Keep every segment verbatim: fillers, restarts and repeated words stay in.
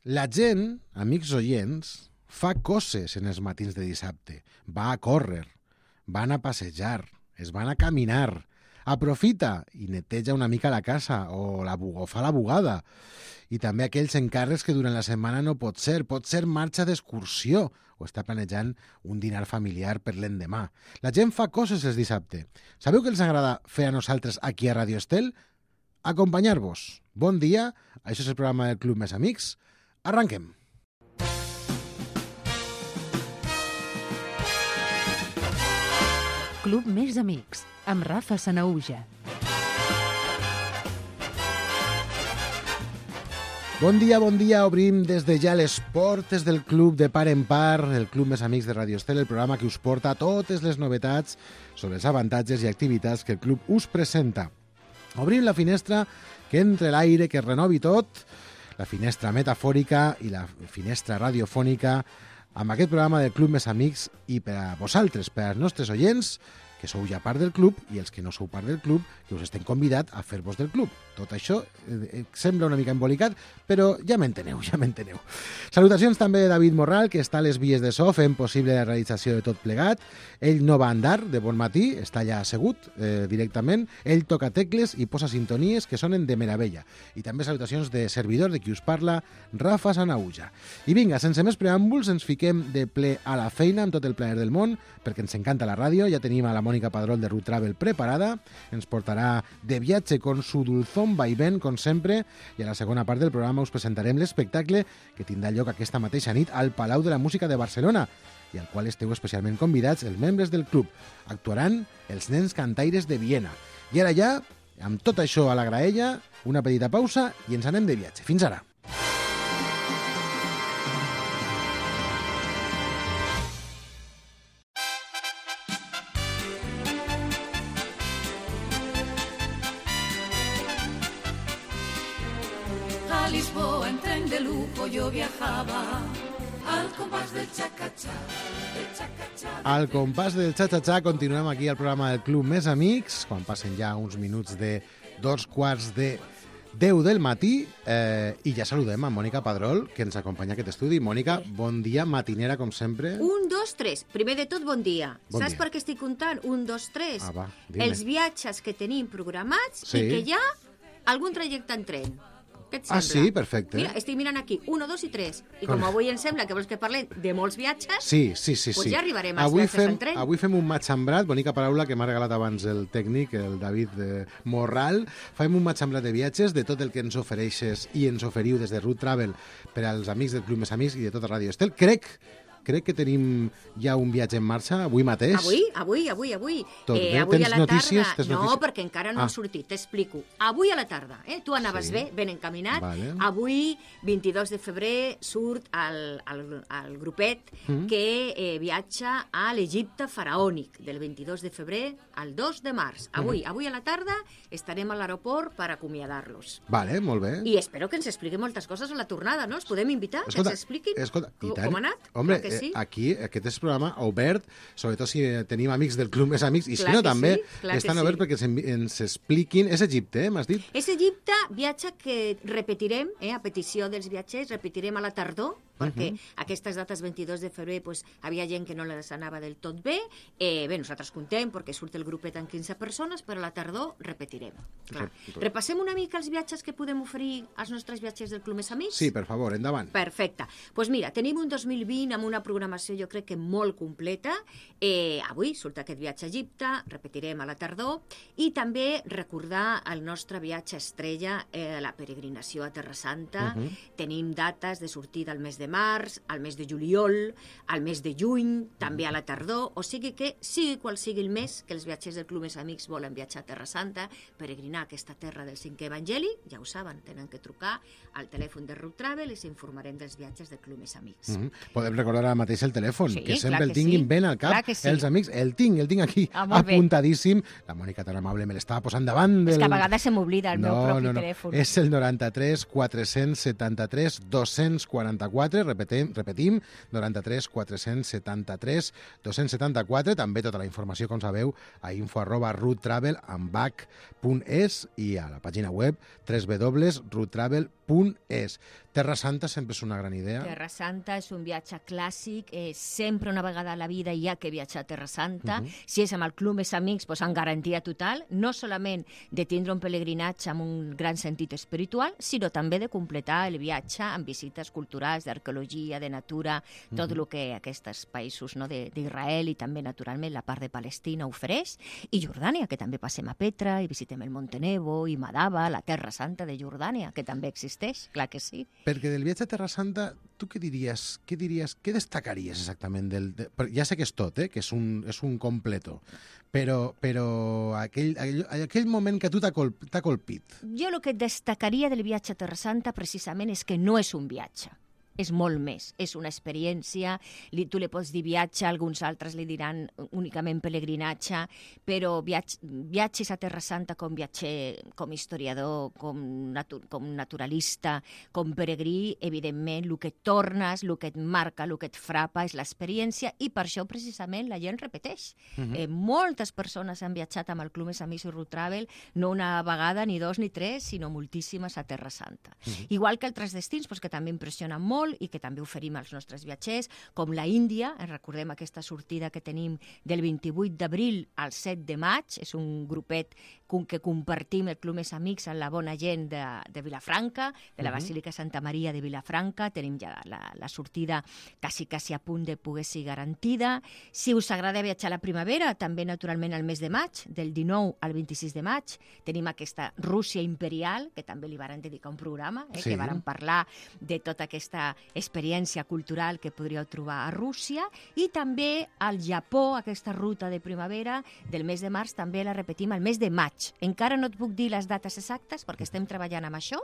La gent, amics oients, fa coses en els matins de dissabte. Va a córrer, van a passejar, es van a caminar, aprofita i neteja una mica la casa o, la, o fa la bugada. I també aquells encàrrecs que durant la setmana no pot ser. Pot ser marxa d'excursió o està planejant un dinar familiar per l'endemà. La gent fa coses els dissabte. Sabeu què els agrada fer a nosaltres aquí a Radio Estel? Acompanyar-vos. Bon dia, això és el programa del Club Més Amics. Arranquem. Club Més Amics, amb Rafa Sanahuja. Bon dia, bon dia. Obrim des de ja les portes del Club de Par en Par, el Club Més Amics de Radio Estel, el programa que us porta totes les novetats sobre els avantatges i activitats que el club us presenta. Obrim la finestra que entre l'aire, que renovi tot, la finestra metafòrica i la finestra radiofònica amb aquest programa del Club Més Amics i per a vosaltres, per als nostres oients, que sou ja part del club, i els que no sou part del club, que us estem convidat a fer-vos del club. Tot això eh, sembla una mica embolicat, però ja m'enteneu, ja m'enteneu. Salutacions també de David Morral, que està a les vies de so fent possible la realització de tot plegat. Ell no va andar de bon matí, està allà assegut eh, directament. Ell toca tecles i posa sintonies que sonen de meravella. I també salutacions de servidor, de qui us parla, Rafa Sanahuja. I vinga, sense més preàmbuls, ens fiquem de ple a la feina amb tot el plaer del món, perquè ens encanta la ràdio. Ja tenim a la Mònica Padrol de Root Travel preparada. Ens portarà de viatge con su dulzón vaivén, com sempre, i a la segona part del programa us presentarem l'espectacle que tindrà lloc aquesta mateixa nit al Palau de la Música de Barcelona i al qual esteu especialment convidats els membres del club. Actuaran els nens cantaires de Viena. I ara ja, amb tot això a la graella, una petita pausa i ens anem de viatge. Fins ara. Lisboa en tren de lujo yo viajaba al compás del cha-cha-cha, del cha-cha-cha. Al compàs del cha-cha-cha continuem aquí al programa del Club Més Amics, quan passen ja uns minuts de dos quarts de deu del matí, eh, i ja saludem a Mònica Padrol, que ens acompanya a aquest estudi. Mònica, bon dia, matinera, com sempre. Un, dos, tres. Primer de tot, bon dia. Bon Saps dia. per què estic comptant? Un, dos, tres. Ah, va, dime. Els viatges que tenim programats Sí. i que hi ha algun trajecte en tren. Què et Ah, sembla? sí? Perfecte. Mira, estic mirant aquí, un, dos i tres. I Com- com avui em sembla que vols que parlem de molts viatges, Sí, sí, sí. Pues sí. ja arribarem als avui viatges fem, en tren. Avui fem un match sembrat, bonica paraula que m'ha regalat abans el tècnic, el David eh, Morral. Fem un match sembrat de viatges, de tot el que ens ofereixes i ens oferiu des de Root Travel per als amics del Club Més Amics i de tota Ràdio Estel. Crec, crec que tenim ja un viatge en marxa, avui mateix. avui, avui, avui, avui. Tot bé? avui Tens a la notícies? tarda... Tens no, notícies? perquè encara no Ah. han sortit, t'explico. Avui a la tarda, eh? tu anaves Sí. bé, ben encaminat. Vale. Avui, vint-i-dos de febrer, surt el, el, el grupet Mm. que eh, viatja a l'Egipte faraònic, del vint-i-dos de febrer al dos de març. Avui, Mm. avui a la tarda estarem a l'aeroport per acomiadar-los. Vale, molt bé. I espero que ens expliqui moltes coses a la tornada, no? Els podem invitar, que ens expliquin escolta, i com, tant. com ha anat? Hombre, Clar que sí. eh, aquí, aquest és programa obert, sobretot si eh, tenim amics del Club Més Amics, i si Clar no que també, sí, clar que estan sí. oberts perquè ens, envi- ens expliquin. És Egipte, eh, m'has dit? És Egipte, viatge que repetirem, eh, a petició dels viatgers, repetirem a la tardor, perquè uh -huh. aquestes dates vint-i-dos de febrer pues, havia gent que no les anava del tot bé. Eh, bé, nosaltres contem perquè surt el grupet amb quinze persones, però a la tardor repetirem. Clar. Repassem una mica els viatges que podem oferir als nostres viatgers del Club Més Amics? Sí, per favor, endavant. Perfecte. Doncs pues mira, tenim un dos mil vint amb una programació jo crec que molt completa. Eh, avui surt aquest viatge a Egipte, repetirem a la tardor, i també recordar el nostre viatge estrella, eh, la peregrinació a Terra Santa. Uh -huh. Tenim dates de sortida al mes de març, al mes de juliol, al mes de juny, també a la tardor, o sigui que, sigui qual sigui el mes que els viatgers del Club Més Amics volen viatjar a Terra Santa, peregrinar a aquesta terra del cinquè evangeli, ja ho saben, tenen que trucar al telèfon de Root Travel i s'informarem dels viatges del Club Més Amics. Uh -huh. Podem recordar ara mateix el telèfon, Sí, que sempre clar el que tinguin sí. ben al cap Clar que sí. els amics. El tinc, el tinc aquí Ah, molt bé. apuntadíssim. La Mònica tan amable me l'estava posant davant del... És que a vegades se m'oblida el meu no, propi no, no. telèfon. És el noranta-tres quatre-cents setanta-tres dos-cents quaranta-quatre, repetim, repetim, noranta-tres quatre-cents setanta-tres dos-cents setanta-quatre, també tota la informació, com sabeu, a info arroba roottravel amb bac punt es i a la pàgina web w w w punt root travel punt punt es. Terra Santa sempre és una gran idea. Terra Santa és un viatge clàssic, eh, sempre una vegada a la vida hi ha que viatjar a Terra Santa. Uh -huh. Si és amb el club més amics, pues, amb garantia total, no solament de tindre un pelegrinatge amb un gran sentit espiritual, sinó també de completar el viatge amb visites culturals, d'arqueologia, de natura, tot el uh -huh. que aquests països, no, d'Israel i també, naturalment, la part de Palestina ofereix, i Jordània, que també passem a Petra i visitem el Monte Nebo i Madaba, la Terra Santa de Jordània, que també existeix, clar que sí. Perquè del viatge a Terra Santa, tu què diries, què diries, què destacaries exactament? Del, de, ja sé que és tot, eh? Que és un, és un completo, però, però aquell, aquell, aquell moment que a tu t'ha colp, colpit. Jo el que destacaria del viatge a Terra Santa precisament és que no és un viatge. És molt més, és una experiència, li, tu li pots dir viatge, alguns altres li diran únicament pelegrinatge, però viatge, viatges a Terra Santa com viatger, com historiador, com, natu, com naturalista, com peregrí, evidentment, el que et tornes, el que et marca, el que et frapa és l'experiència, i per això precisament la gent repeteix. Uh-huh. eh, moltes persones han viatjat amb el Club Més Amics i Road Travel, no una vegada, ni dos, ni tres, sinó moltíssimes a Terra Santa. Uh-huh. Igual que altres destins, pues, que també impressionen molt, i que també oferim als nostres viatgers, com la Índia. Recordem aquesta sortida que tenim del vint-i-vuit d'abril al set de maig, és un grupet que compartim el Club Més Amics amb la bona gent de, de Vilafranca, de la uh-huh. Basílica Santa Maria de Vilafranca. Tenim ja la, la sortida quasi, quasi a punt de poder ser garantida. Si us agrada viatjar a la primavera, també naturalment al mes de maig, del dinou al vint-i-sis de maig, tenim aquesta Rússia imperial, que també li varen dedicar un programa, eh, sí. que varen parlar de tota aquesta experiència cultural que podríeu trobar a Rússia, i també al Japó, aquesta ruta de primavera del mes de març, també la repetim al mes de maig. Encara no et puc dir les dates exactes perquè estem treballant amb això,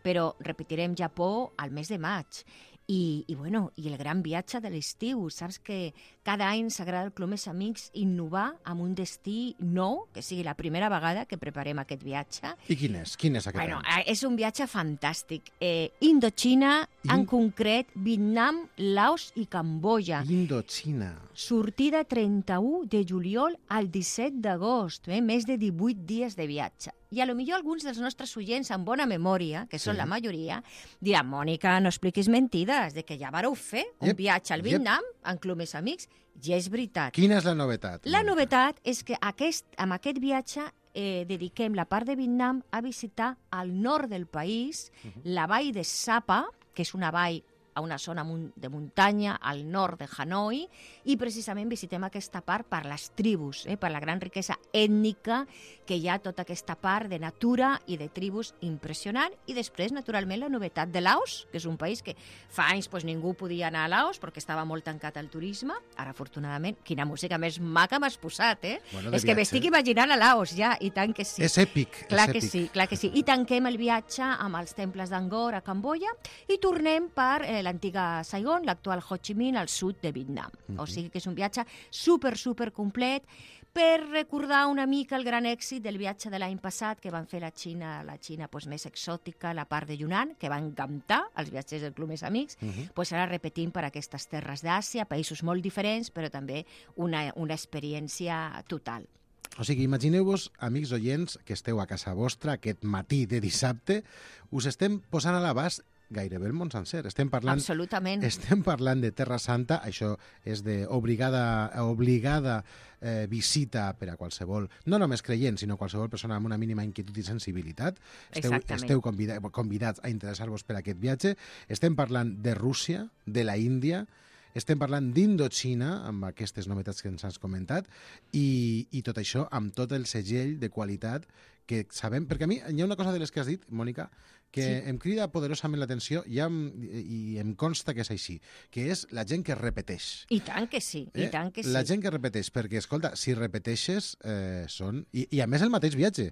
però repetirem Japó al mes de maig. I, i, bueno, i el gran viatge de l'estiu. Saps que cada any s'agrada al Club Més Amics innovar amb un destí nou, que sigui la primera vegada que preparem aquest viatge. I quin és? Quin és aquest bueno, any? És un viatge fantàstic. Eh, Indochina, In... en concret, Vietnam, Laos i Camboya. Indochina. Sortida trenta-u de juliol al disset d'agost, eh? Més de divuit dies de viatge. I a lo millor alguns dels nostres oients amb bona memòria, que són sí. la majoria, diran, Mònica, no expliquis mentides, de que ja vareu fer un yep. viatge al Vietnam yep. en Club Més Amics. I és veritat. Quina és la novetat? La Mònica? novetat és que aquest, amb aquest viatge eh, dediquem la part de Vietnam a visitar al nord del país, uh-huh. la vall de Sapa, que és una vall a una zona de muntanya al nord de Hanoi, i precisament visitem aquesta part per les tribus, eh, per la gran riquesa ètnica que hi ha tota aquesta part de natura i de tribus impressionant. I després, naturalment, la novetat de Laos, que és un país que fa anys pues, ningú podia anar a Laos perquè estava molt tancat al turisme. Ara, afortunadament, quina música més maca m'has posat, eh? Bueno, és que m'estic imaginant a Laos, ja, i tant que sí. És èpic. Clar és que èpic. sí, clar que sí. I tanquem el viatge amb els temples d'Angkor a Camboya i tornem per eh, l'antiga Saigon, l'actual Ho Chi Minh, al sud de Vietnam. Uh-huh. O sigui que és un viatge super, super complet per recordar una mica el gran èxit del viatge de l'any passat que van fer la Xina, la Xina pues, més exòtica, la part de Yunnan, que va encantar els viatgers del Club Més Amics. Uh-huh. Pues ara repetim per aquestes terres d'Àsia, països molt diferents, però també una, una experiència total. O sigui, imagineu-vos, amics oients, que esteu a casa vostra aquest matí de dissabte, us estem posant a l'abast gairebé el món sencer. Estem parlant, Absolutament. Estem parlant de Terra Santa, això és d'obligada obligada, eh, visita per a qualsevol, no només creient, sinó qualsevol persona amb una mínima inquietud i sensibilitat. Esteu, esteu convida, convidats a interessar-vos per aquest viatge. Estem parlant de Rússia, de la Índia, estem parlant d'Indochina, amb aquestes novetats que ens has comentat, i, i tot això amb tot el segell de qualitat que sabem, perquè a mi hi ha una cosa de les que has dit, Mònica, que sí. em crida poderosament l'atenció i, em, i em consta que és així, que és la gent que repeteix. I tant que sí, eh? i tant que sí. La gent que repeteix, perquè, escolta, si repeteixes, eh, són... I, I a més el mateix viatge.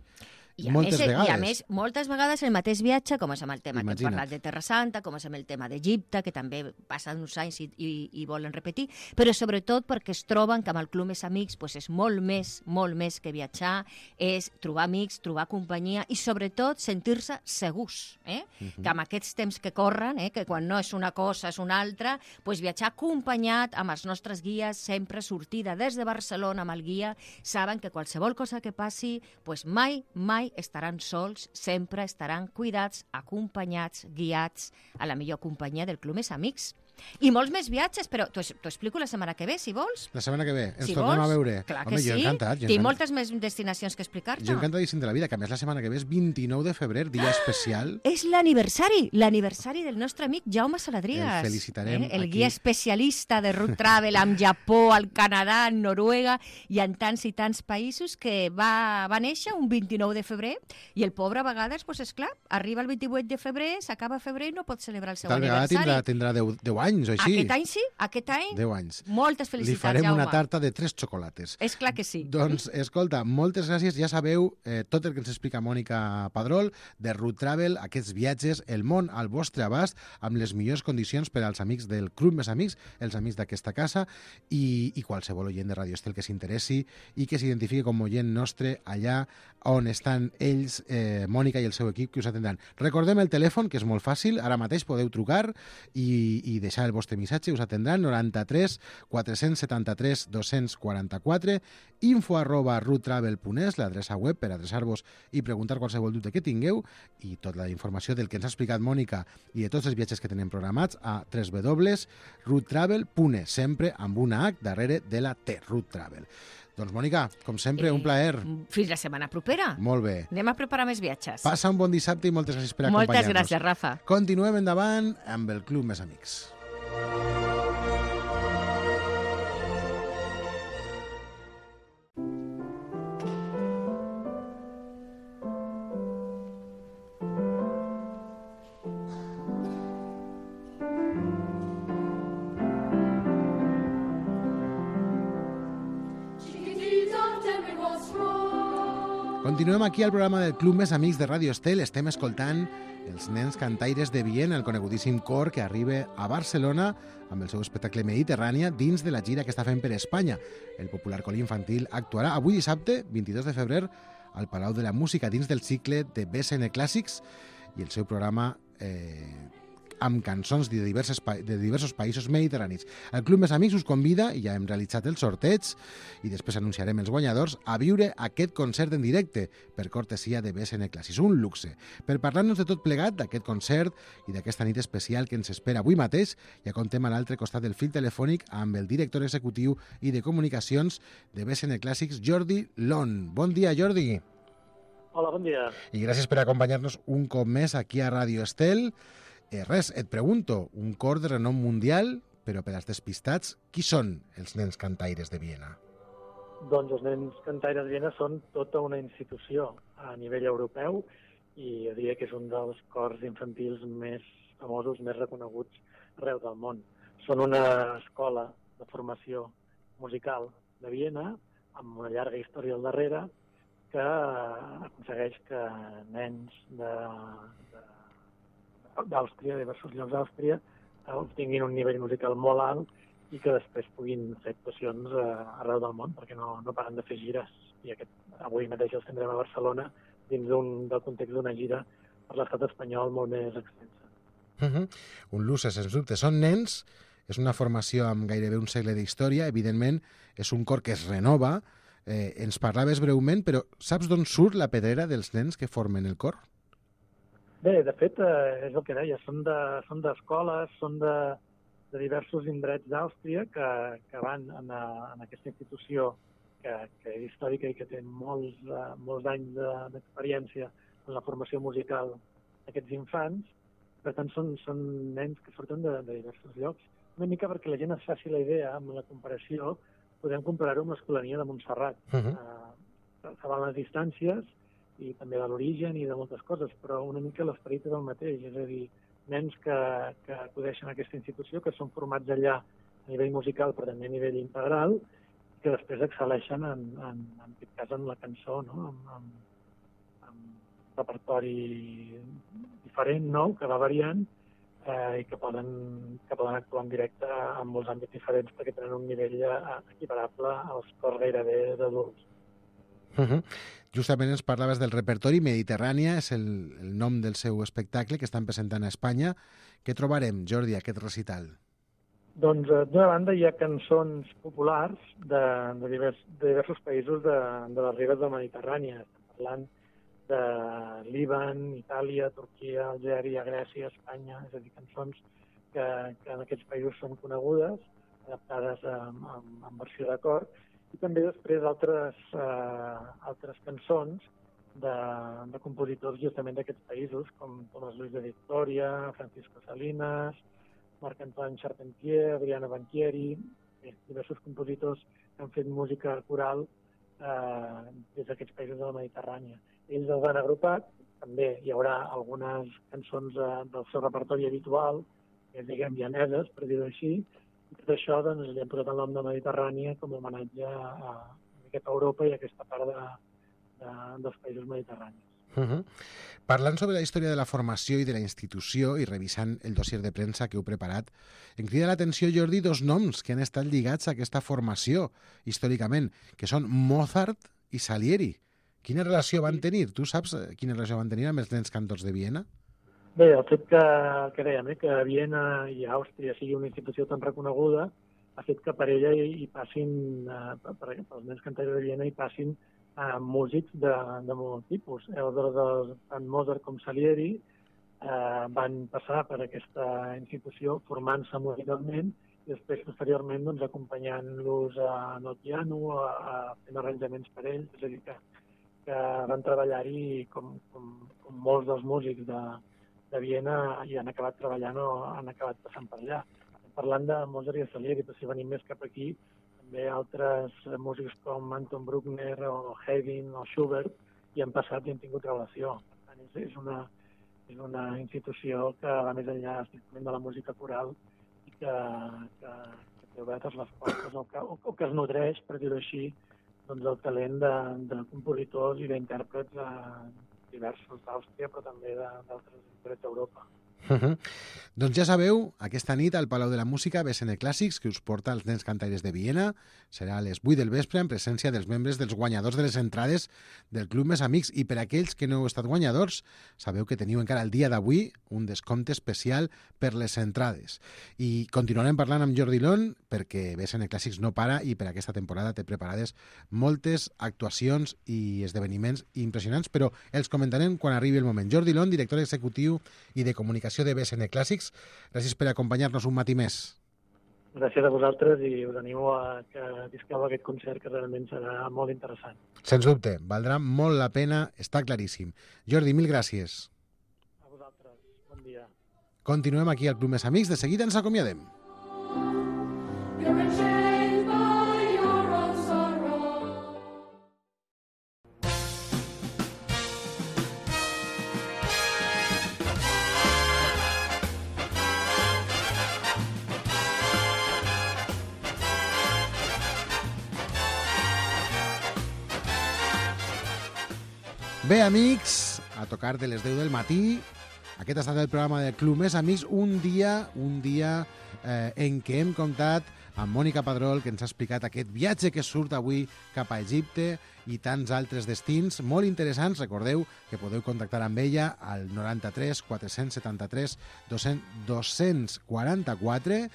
I a, moltes més, vegades. I a més, moltes vegades el mateix viatge, com és amb el tema Imagina't. que hem parlat de Terra Santa, com és amb el tema d'Egipte, que també passen uns anys i, i, i volen repetir, però sobretot perquè es troben que amb el Club Més Amics pues, és molt més, molt més que viatjar, és trobar amics, trobar companyia i sobretot sentir-se segurs. Eh? Uh-huh. Que amb aquests temps que corren, eh, que quan no és una cosa és una altra, pues, viatjar acompanyat amb els nostres guies, sempre sortida des de Barcelona amb el guia, saben que qualsevol cosa que passi, pues, mai, mai mai estaran sols, sempre estaran cuidats, acompanyats, guiats a la millor companyia del Club Més Amics. I molts més viatges, però t'ho explico la setmana que ve, si vols. La setmana que ve, ens si tornem vols, a veure. Clar Home, que jo sí, encantat. Jo tinc encantat. moltes més destinacions que explicar-te. Jo encantadíssim de la vida, que a més la setmana que ve és vint-i-nou de febrer, dia especial. És l'aniversari, l'aniversari del nostre amic Jaume Saladrigas. El felicitarem eh? El aquí. guia especialista de road travel amb Japó, al Canadà, en Noruega i en tants i tants països, que va, va néixer un vint-i-nou de febrer i el pobre a vegades, doncs esclar, arriba el vint-i-vuit de febrer, s'acaba febrer i no pot celebrar el seu Tal vegada aniversari. tindrà, tindrà deu, deu anys o així. Aquest any sí, aquest any. deu anys. Moltes Li felicitats, farem Jaume. una tarta de tres xocolates. És clar que sí. Doncs, escolta, moltes gràcies. Ja sabeu eh, tot el que ens explica Mònica Padrol de Root Travel, aquests viatges, el món al vostre abast, amb les millors condicions per als amics del Club Més Amics, els amics d'aquesta casa, i, i qualsevol oient de Radio Estel que s'interessi i que s'identifiqui com oient nostre allà on estan ells, eh, Mònica i el seu equip, que us atendran. Recordem el telèfon, que és molt fàcil, ara mateix podeu trucar i, i deixar el vostre missatge, us atendran noranta-tres quatre-cents setanta-tres dos-cents quaranta-quatre, info arroba roottravel punt es, l'adreça web per adreçar-vos i preguntar qualsevol dubte que tingueu, i tota la informació del que ens ha explicat Mònica i de tots els viatges que tenen programats a w w w punt roottravel punt es, sempre amb una H darrere de la T, Root Travel. Doncs, Mònica, com sempre, Eh, un plaer. Fins la setmana propera. Molt bé. Anem a preparar més viatges. Passa un bon dissabte i moltes gràcies per acompanyar-nos. Moltes gràcies, Rafa. Continuem endavant amb el Club Més Amics. Continuem aquí al programa del Club Més Amics de Radio Estel. Estem escoltant els nens cantaires de Viena, el conegudíssim cor que arriba a Barcelona amb el seu espectacle Mediterrània dins de la gira que està fent per Espanya. El popular col infantil actuarà avui dissabte, vint-i-dos de febrer, al Palau de la Música dins del cicle de B S N Clàssics i el seu programa eh, amb cançons de, diverses, de diversos països mediterranis. El Club Més Amics us convida, i ja hem realitzat el sorteig, i després anunciarem els guanyadors, a viure aquest concert en directe per cortesia de B S N Clàssics. Un luxe. Per parlar-nos de tot plegat, d'aquest concert i d'aquesta nit especial que ens espera avui mateix, ja contem a l'altre costat del fil telefònic amb el director executiu i de comunicacions de B S N Clàssics, Jordi Lon. Bon dia, Jordi. Hola, bon dia. I gràcies per acompanyar-nos un cop més aquí a Radio Estel. Eh, res, et pregunto, un cor de renom mundial, però per als despistats, qui són els nens cantaires de Viena? Doncs els nens cantaires de Viena són tota una institució a nivell europeu i jo diria que és un dels cors infantils més famosos, més reconeguts arreu del món. Són una escola de formació musical de Viena amb una llarga història al darrere que aconsegueix que nens de, de d'Àustria, de diversos llocs d'Àustria, obtinguin un nivell musical molt alt i que després puguin fer actuacions arreu del món, perquè no, no paren de fer gires. I aquest, avui mateix els tindrem a Barcelona dins un, del context d'una gira per l'estat espanyol molt més extensa. Uh-huh. Un luxe, sens dubte. Són nens, és una formació amb gairebé un segle d'història, evidentment és un cor que es renova. Eh, ens parlaves breument, però saps d'on surt la pedrera dels nens que formen el cor? Bé, de fet, eh, és el que deia, són d'escoles, de, són de, de diversos indrets d'Àustria que, que van en, a, en aquesta institució que, que és històrica i que té molts, uh, molts anys d'experiència en la formació musical d'aquests infants. Per tant, són, són nens que surten de, de diversos llocs. Una mica perquè la gent es faci la idea, amb la comparació, podem comparar-ho amb l'Escolania de Montserrat. Uh-huh. uh, Saben les distàncies, i també de l'origen i de moltes coses, però una mica l'esperit és el mateix, és a dir, nens que, que acudeixen a aquesta institució, que són formats allà a nivell musical, però també a nivell integral, que després excel·leixen en, en, en aquest cas en la cançó, no? amb, amb, amb repertori diferent, nou, que va variant, eh, i que poden, que poden actuar en directe en molts àmbits diferents perquè tenen un nivell equiparable als cors gairebé d'adults. Uh-huh. Justament ens parlaves del repertori. Mediterrània és el, el nom del seu espectacle que estan presentant a Espanya. Què trobarem, Jordi, aquest recital? Doncs, d'una banda, hi ha cançons populars de, de, divers, de diversos països de, de les ribes de Mediterrània. Estem parlant de Líban, Itàlia, Turquia, Algèria, Grècia, Espanya, és a dir, cançons que, que en aquests països són conegudes, adaptades en, en, en versió de cor, i també després altres, eh, altres cançons de, de compositors justament d'aquests països, com Tomàs Luis de Victoria, Francisco Salinas, Marc-Antoine Charpentier, Adriano Banchieri, eh, diversos compositors que han fet música coral eh, des d'aquests països de la Mediterrània. Ells els han agrupat, també hi haurà algunes cançons eh, del seu repertori habitual, que diguem llaneses, per dir-ho així, i tot això doncs, li han posat el nom de Mediterrània com a homenatge a, a aquesta Europa i a aquesta part de, de, dels països mediterranis. Uh-huh. Parlant sobre la història de la formació i de la institució i revisant el dossier de premsa que heu preparat, em crida l'atenció, Jordi, dos noms que han estat lligats a aquesta formació històricament, que són Mozart i Salieri. Quina relació van tenir? Tu saps quina relació van tenir amb els nens cantors de Viena? Bé, el fet que, que dèiem, eh, que Viena i Àustria sigui una institució tan reconeguda ha fet que per ella hi, hi passin, eh, per, per els nens cantors de Viena hi passin eh, músics de, de molt tipus. Aleshores, tant Mozart com Salieri eh, van passar per aquesta institució formant-se musicalment i després, posteriorment, doncs, acompanyant-los en el piano, a, a fent arranjaments per ells, és a dir, que, que van treballar-hi com, com, com molts dels músics de, de Viena i han acabat treballant o han acabat passant per allà. Parlant de Mozart i de Salieri, però si venim més cap aquí, també altres músics com Anton Bruckner o Haydn o Schubert hi han passat i han tingut relació. Per tant, és, és, una, és una institució que va més enllà estrictament de la música coral i que, que, que té obertes les portes o que, o, o que es nodreix, per dir-ho així, doncs, el talent de, de compositors i d'intèrprets eh, diversos d'Àustria, però també d'altres indrets d'Europa. Uh -huh. Doncs ja sabeu, aquesta nit al Palau de la Música B S N Clàssics, que us porta els nens cantaires de Viena, serà a les vuit del vespre en presència dels membres dels guanyadors de les entrades del Club Més Amics. I per aquells que no heu estat guanyadors, sabeu que teniu encara el dia d'avui un descompte especial per les entrades. I continuarem parlant amb Jordi Lon, perquè B S N Clàssics no para i per aquesta temporada té preparades moltes actuacions i esdeveniments impressionants, però els comentarem quan arribi el moment. Jordi Lon, director executiu i de comunicació de B S N Clàssics, gràcies per acompanyar-nos un matí més. Gràcies a vosaltres i us animo a que visqueu aquest concert, que realment serà molt interessant. Sens dubte, valdrà molt la pena, està claríssim. Jordi, mil gràcies. A vosaltres, bon dia. Continuem aquí al Club Més Amics, de seguida ens acomiadem. Bé, amics, a tocar de les deu del matí, aquest ha estat el programa del Club Més Amics, un dia, un dia eh, en què hem comptat amb Mònica Padrol, que ens ha explicat aquest viatge que surt avui cap a Egipte i tants altres destins molt interessants. Recordeu que podeu contactar amb ella al noranta-tres quatre setanta-tres dos cents quaranta-quatre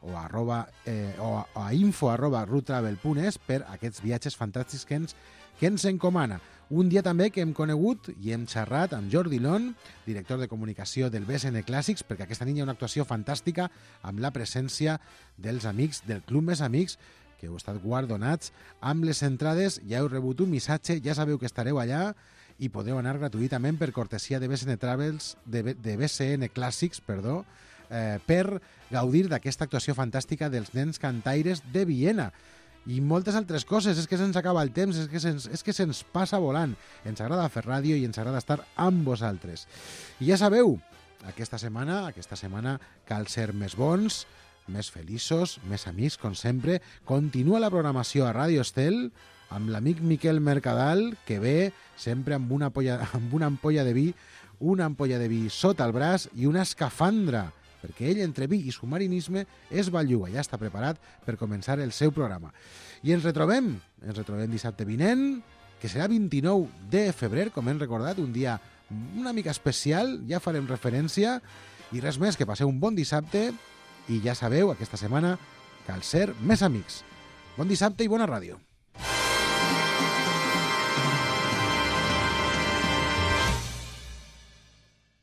o, arroba, eh, o a info arroba rutravel punt es per aquests viatges fantàstics que ens, que ens encomana. Un dia també que hem conegut i hem xerrat amb Jordi Lon, director de comunicació del B S N Clàssics, perquè aquesta nit hi ha una actuació fantàstica amb la presència dels amics del Club Més Amics, que heu estat guardonats amb les entrades. Ja heu rebut un missatge, ja sabeu que estareu allà i podeu anar gratuïtament per cortesia de B S N Travels, de, de B S N Clàssics, perdó, eh, per gaudir d'aquesta actuació fantàstica dels nens cantaires de Viena. I moltes altres coses, és que se'ns acaba el temps, és que se'ns, és que se'ns passa volant. Ens agrada fer ràdio i ens agrada estar amb vosaltres. I ja sabeu, aquesta setmana, aquesta setmana cal ser més bons, més feliços, més amics, com sempre. Continua la programació a Ràdio Estel amb l'amic Miquel Mercadal, que ve sempre amb una ampolla, amb una ampolla de vi, una ampolla de vi sota el braç i una escafandra, perquè ell, entre vi i submarinisme, és balluga, ja està preparat per començar el seu programa. I ens retrobem, ens retrobem dissabte vinent, que serà vint-i-nou de febrer, com hem recordat, un dia una mica especial, ja farem referència, i res més, que passeu un bon dissabte, i ja sabeu, aquesta setmana cal ser més amics. Bon dissabte i bona ràdio.